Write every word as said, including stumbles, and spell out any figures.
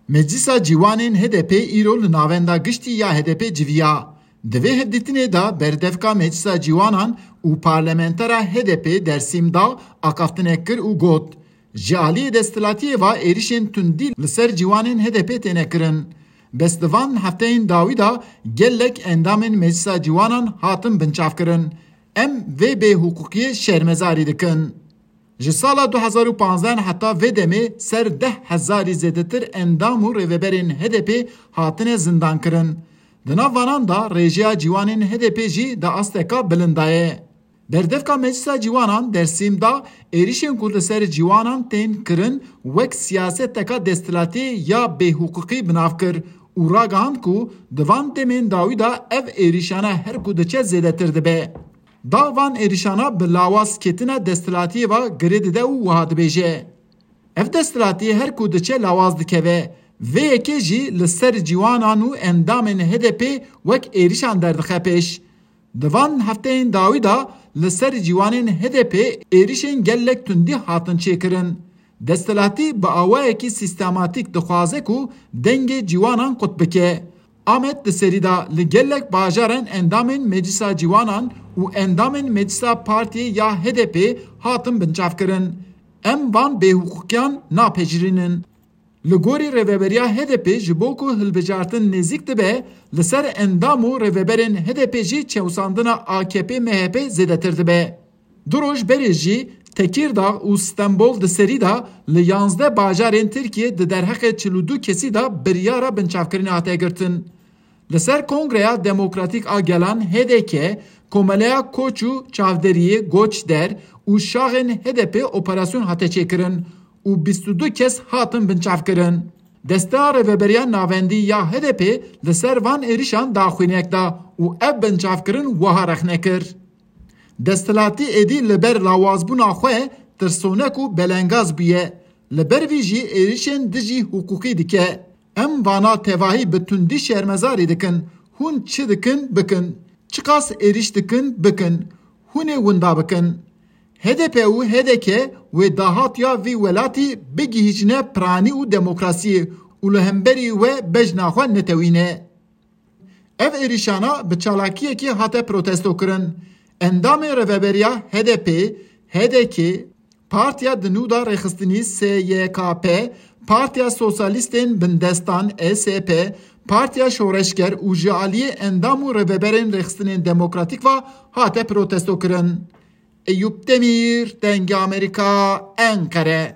Meclisa Ciwanên H D P îro li navenda giştî ya H D P civiya. Di vê hevdîtinê de berdevka Meclisa Ciwanan û parlamentera H D P Dersîm Dağ axaftinek kir û got, ji aliyê desthilatiyê ve êrişên tundî li ser ciwanên H D P têne kirin. Bes di van hefteyên dawî de gelek endamên Meclisa Ciwanan hatin binçavkirin. Em vê bêhiqûqiyê şermezarî dikin. Ji sala du hezar û panzdeh heta vê demê ser deh hezarî zêdetir endam û rêveberên H D P hatine zindankirin. Di nav vanan de rêjeya ciwanên H D P jî di asteka bilind de ye. Berdevka Meclisa Ciwanan Dersîm Dağ êrişên ku li ser ciwanan tên kirin wek siyaseteka desthilatî ya bêhiqûqî bi nav kir û ragihand ku di van demên dawî de ev êrişane her ku diçe zêdetir dibe. Dağ van êrişana bi lawaz ketina desthilatiyê ve girê dide û wiha dibêje, ev desthilatî her ku diçe lawaz dikeve. Vê yekê jî li ser ciwanan û endamên H D P wek êrişan derdixe pêş. Di van hefteyên dawî de li ser ciwanên H D P êrişên gelek tundî hatin çêkirin. Desthilatî bi awayekî sîstematîk dixwaze ku dengê ciwanan qut bike. Amed di serî de li gelek bajaran endamên Meclisa Ciwanan û endamên Meclisa Partiyê ya H D P hatin binçavkirin. Em van bêhiqûqiyan napejirînin. Li gorî rêveberiya H D P ji bo ku hilbijartin nêzîk dibe, li ser endam û rêveberên H D P jî çewsandina A K P M H P zêdetir dibe. Du roj berê jî Tekîrdağ û Stenbol di serî de li yanzdeh bajarên Tirkiyê di derheqê çil û du kesî de biryara binçavkirinê hate girtin. Li ser Kongreya Demokratîk a Gelan H D K, Komeleya Koç û Çavderiyê Goçder û şaxên H D P operasyon hate çêkirin û bîst û du kes hatin binçavkirin. Desteya Rêveberiya Navendî ya H D P li ser van êrişan daxuyanek da û ev binçavkirin wiha rexne kir. Desthilatî êdî li ber lawazbûna xwe tirsonek û belengaz bûye. Li ber vî jî êrişên dijî hiqûqî dike. Em vana tevahî bi tundî şermezarî dikin. Hûn çi dikin bikin. Çiqas êrîş dikin bikin. Hûn ê winda bikin. H D P û H D K wê dahatiya vî welatî bigihîjine piranî û demokrasiyê û li hemberî we bejna xwe netewîne. Ev êrîşana bi çalakiyekî hate protestokirin. Endamê Rêveberiya H D P, H D K, Partiya di nû de rêxistinî S Y K P, Partiya Sosyalistên Bindestan S Y P, Partiya Şoreşger û ji aliyê endam û rêveberên rêxistinên demokratîk ve hate protestokirin. Eyûp Demîr, Dengê Amerîka, Enqere.